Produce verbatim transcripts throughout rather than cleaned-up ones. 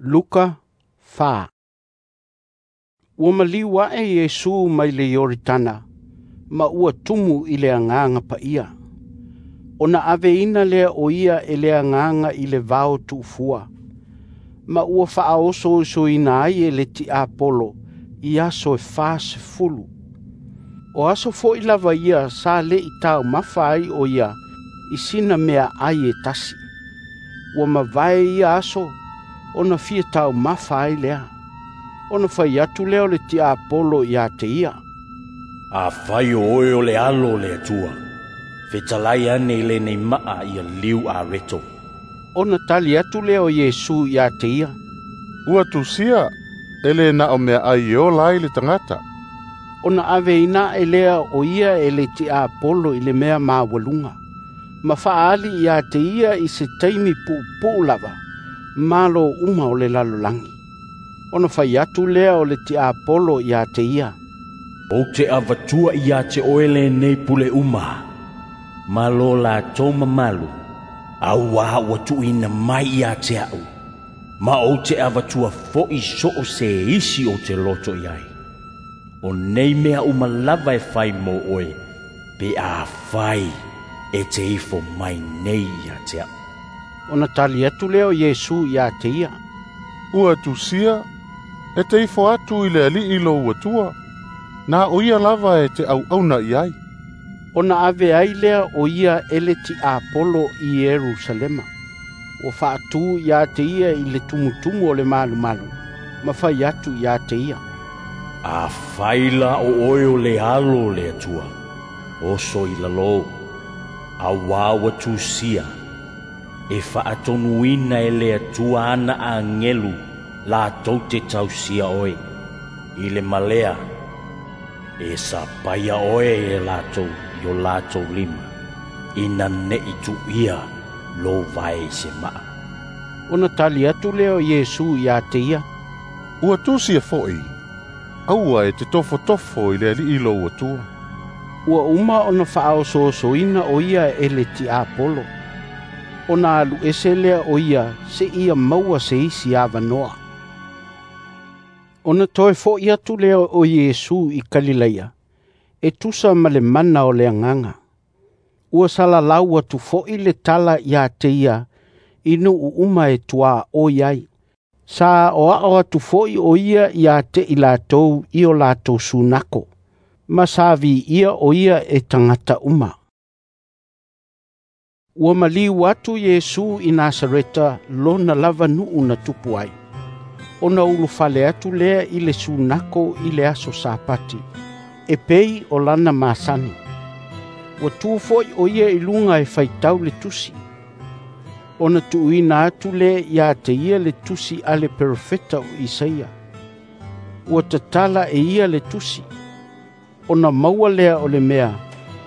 Luka fa. Ua maliu ae Iesu mai le Ioritana, ma ua tumu i le Agaga Paia. Ona aveina lea o ia e le Agaga i le vao tuufua, ma ua faaosoosoina ai e le tiapolo i aso e fasefulu. O aso foi lava ia sa le i taumafa ai o ia i sina meaai e tasi. Ua mavae ia aso ona fia taumafa ai lea. Ona fai atu lea o le tiapolo ia te ia, "Afai o oe o le Alo o le Atua, fetalai ane i lenei maa ia liu areto." Ona tali atu lea o Iesu ia te ia, "Ua tusia, e le na o meaai e ola ai le tagata." Ona aveina ae lea o ia e le tiapolo i le mea maualuga, ma faaali ia te ia i se taimi puupuu lava malo uma o le lalolagi. Ona fai atu lea o le tiapolo ia te ia, "Ou te avatua ia te oe lenei pule uma, ma lo latou mamalu, auā ua tuuina mai ia te a'u, ma ou te avatua fo'i so o se isi ou te loto i ai. O nei mea uma lava e fai mo oe, pe afai e te ifo mai nei ia te a'u." Ona tali atu lea o Iesu ia te ia, "Ua tusia, e te ifo atu i le Alii lou Atua, na o ia lava e te auauna i ai." Ona ave ai lea o ia e le tiapolo i Ierusalema. Ua faatu ia te ia i le tumutumu o le malumalu, ma fai atu ia te ia, "Afai la o oe o le Alo o le Atua, oso i lalo, auā ua tusia, e faatonuina e le Atua ana agelu latou te tausia oe. I le malea, e sapaia oe e latou i o latou lima, ina ne'i tu'uia lou vae i se maa." Ona tali atu lea o Iesu ia te ia, "Ua tusia fo'i, aua e te tofotofo i le Alii lou Atua." Ua uma ona faaosoosoina o ia e le tiapolo. Ona alu ese lea o ia seia maua se isi avanoa. Ona toe fo'i atu lea o Iesu i Kalilaia, e tusa ma le mana o le Agaga. Ua salalau atu fo'i le tala ia te ia i nuu uma e tuaoi ai. Sa aoao atu fo'i o ia ia te i latou i o latou sunako, ma sa viia o ia e tagata uma. Ua maliu atu Iesu i Nasareta lona lava nuu na tupu ai. Ona ulufale atu lea i le sunako i le aso Sapati, e pei o lana masani. Ua tu fo'i o ia i luga e faitau le tusi. Ona tuuina atu lea ia te ia le tusi a le perofeta o Isaia. Ua tatala e ia le tusi. Ona maua lea o le mea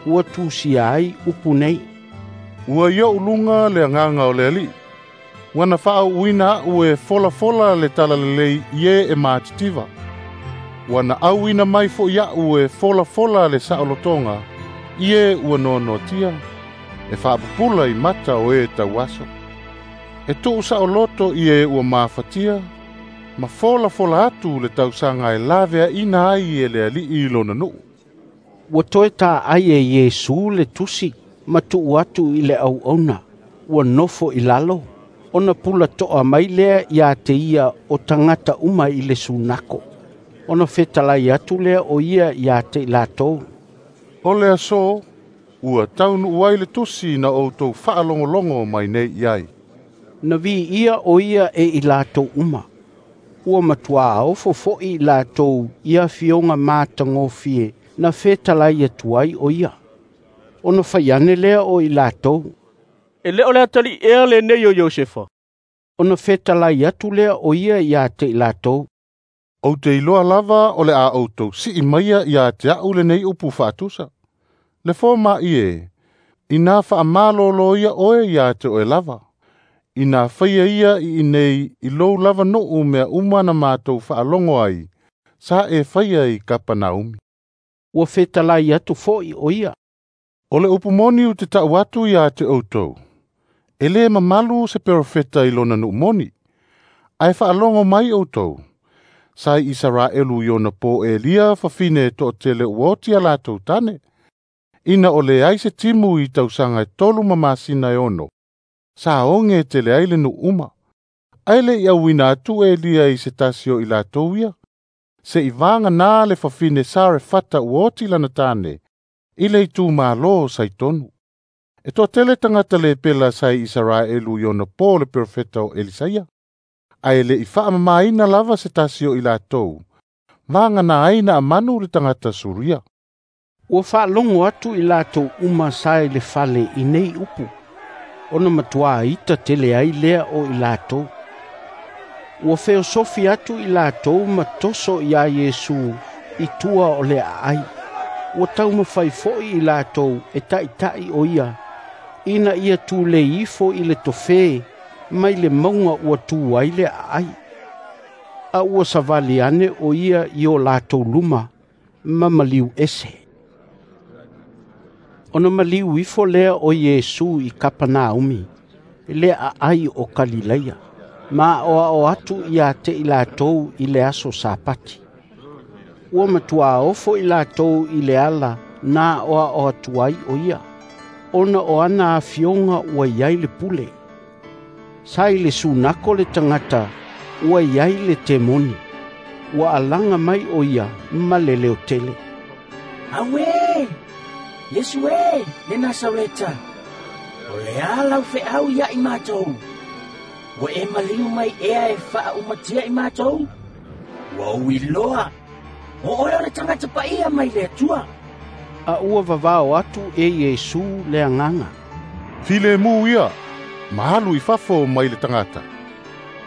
ua tusia ai upu nei, "Ua i o'u luga le Agaga o le Alii, ua na faauuina a'u e folafola le talalelei i e e matitiva. Ua na auina mai fo'i a'u e folafola le saolotoga i e ua noanoatia, e faapupula i mata o e tauaso. E tuu saoloto i e ua mafatia, ma folafola atu le tausaga e laveaina ai e le Alii lona nuu." Ua toe taai e Iesu le tusi ma tuu atu i le auauna, ua nofo i lalo, ona pulatoa mai lea ia te ia o tagata uma i le sunako. Ona fetalai atu lea o ia ia te i latou, "O le aso, ua taunuu ai le tusi na outou faalogologo mai nei i ai." Na viia o ia e i latou uma. Ua matuā ofo fo'i i latou i afioga matagofie na fetalai atu ai o ia. Ona fai ane lea o i latou, "E le o le atalii ea lenei o Iosefa?" Ona fetalai atu lea o ia ia te i latou, "Ou te iloa lava o le a outou sii maia ia te a'u lenei upu faatusa. Le foma'i e, ina faamalōlō ia oe ia te oe lava. Ina faia ia i inei i lou lava nuu mea uma na matou faalogo ai, sa e faia i Kapanaumi." Ua fetalai atu fo'i o ia, "O le upu moni ou te ta'u atu ia te outou, e lē mamalu se perofeta i lona nuu moni, Ae faalogo mai outou, sa i Isaraelu i ona po Elia fafine e toatele ua oti a latou tane. Ina o leai se timu i tausaga e tolu ma masina e ono, sa oge tele ai le nuu uma. Ae le i auina atu Elia i se tasi o i latou ia, se i vagana le fafine Sarefata ua oti lana tane, i le itumalo o Saitonu. E toatele tagata lepela sa i Isaraelu i ona po le perofeta o Elisaia. Ae le i faamamaina lava se tasi o i latou, vagana ai Naamanu le tagata Suria. Ua faalogo atu i latou uma sa i le fale i nei upu, ona matuā ita tele ai lea o i latou. Ua feosofi atu i latou ma toso iā Iesu i tua o le aai. Ua taumafai foi i latou e taʻitaʻi o ia, ina ia tulei ifo i le tofē mai le mauga ua tu ai le aai. A ua savali ane o ia i o latou luma ma maliu ese. Ona maliu ifo lea o Iesu i Kapanaumi, le aai o Kalileia, ma aoao atu ia te i latou i le aso Sapati. Ua matuā ofo i latou i le ala na aoao atu ai o ia, ona o ana afioga ua i ai le pule. Sa i le sunako le tagata ua i ai le temoni. Ua alaga mai o ia ma le leotele. Auē, Iesu e, le Nasareta, o le a lau feau ia i matou. Ua e maliu mai ea e faaumatia i matou. Ua ou iloa, o oe o le tagata paia mai le Atua. A ua vavao atu e Iesu le agaga. Filemu ia, ma alu i fafo mai le tagata.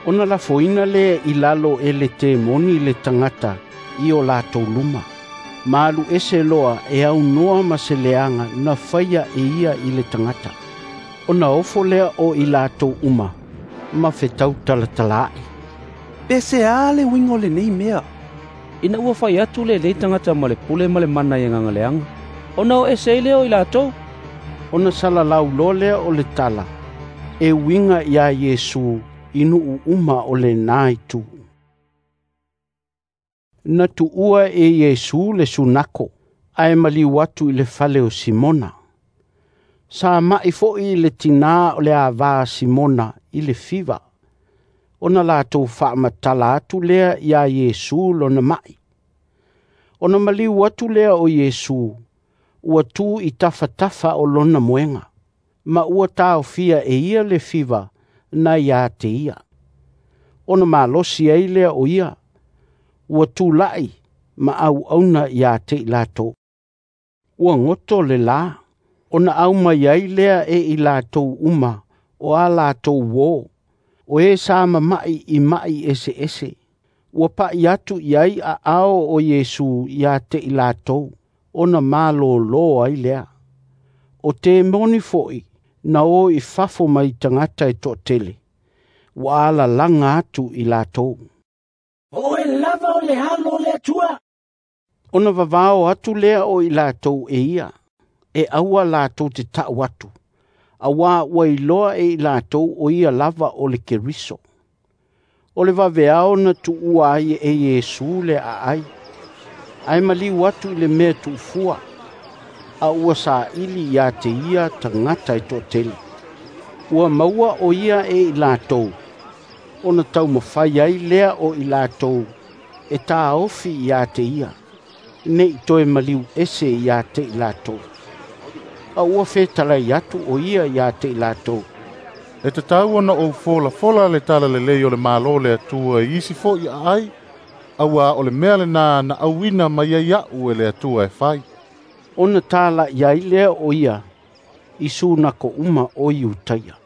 Ona lafoina lea i lalo e le temoni le tagata i o latou luma. Ma alu ese loa e aunoa ma se leaga na faia e ia i le tagata. Ona ofo lea o i latou uma, ma fetau talatalaai. Pe se a le uiga o lenei mea? Ina ua fai atu lenei tagata ma le pule ma le mana i agaga leaga, ona o ese ai lea o i latou. Ona salalau loa lea o le tala, e uiga iā Iesu i nuu uma o lena itu. Na tuua e Iesu le sunako, ae maliu atu i le fale o Simona. Sa ma'i foi le tinā o le avā a Simona i le fiva, ona latou faamatala atu lea iā Iesu lona ma'i. Ona maliu atu lea o Iesu, ua tu i tafatafa o lona moega, ma ua taofia e ia le fiva na ia te ia. Ona malosi ai lea o ia, ua tula'i ma auauna ia te i latou. Ua goto le lā, ona aumai ai lea e i latou uma o a latou uō, o e sa mama'i i ma'i eseese. Ua pa'i atu i ai aao o Iesu ia te i latou, ona malōlō ai lea. O temoni foi na o i fafo mai tagata e toatele, ua alalaga atu i latou. O oe lava o le Alo o le Atua. Ona vavao atu lea o i latou e ia, e aua latou te ta'u atu, auā ua iloa e i latou o ia lava o le Keriso. O le vaveao na tuua ai e Iesu le aai, ae maliu atu i le mea tuufua, a ua saili ia te ia tagata e toatele. Ua maua o ia e i latou, ona taumafai ai lea o i latou e taofi ia te ia, nei toe maliu ese ia te i latou. A ua fetalai atu o ia ia te i latou. E tatau ona ou folafola le talalelei o le Malo o le Atua i isi foi aai, auā o le mea lenā na auina mai ai aʻu e le Atua e fai. Ona tala'i ai lea o ia i sunako uma o Iutaia.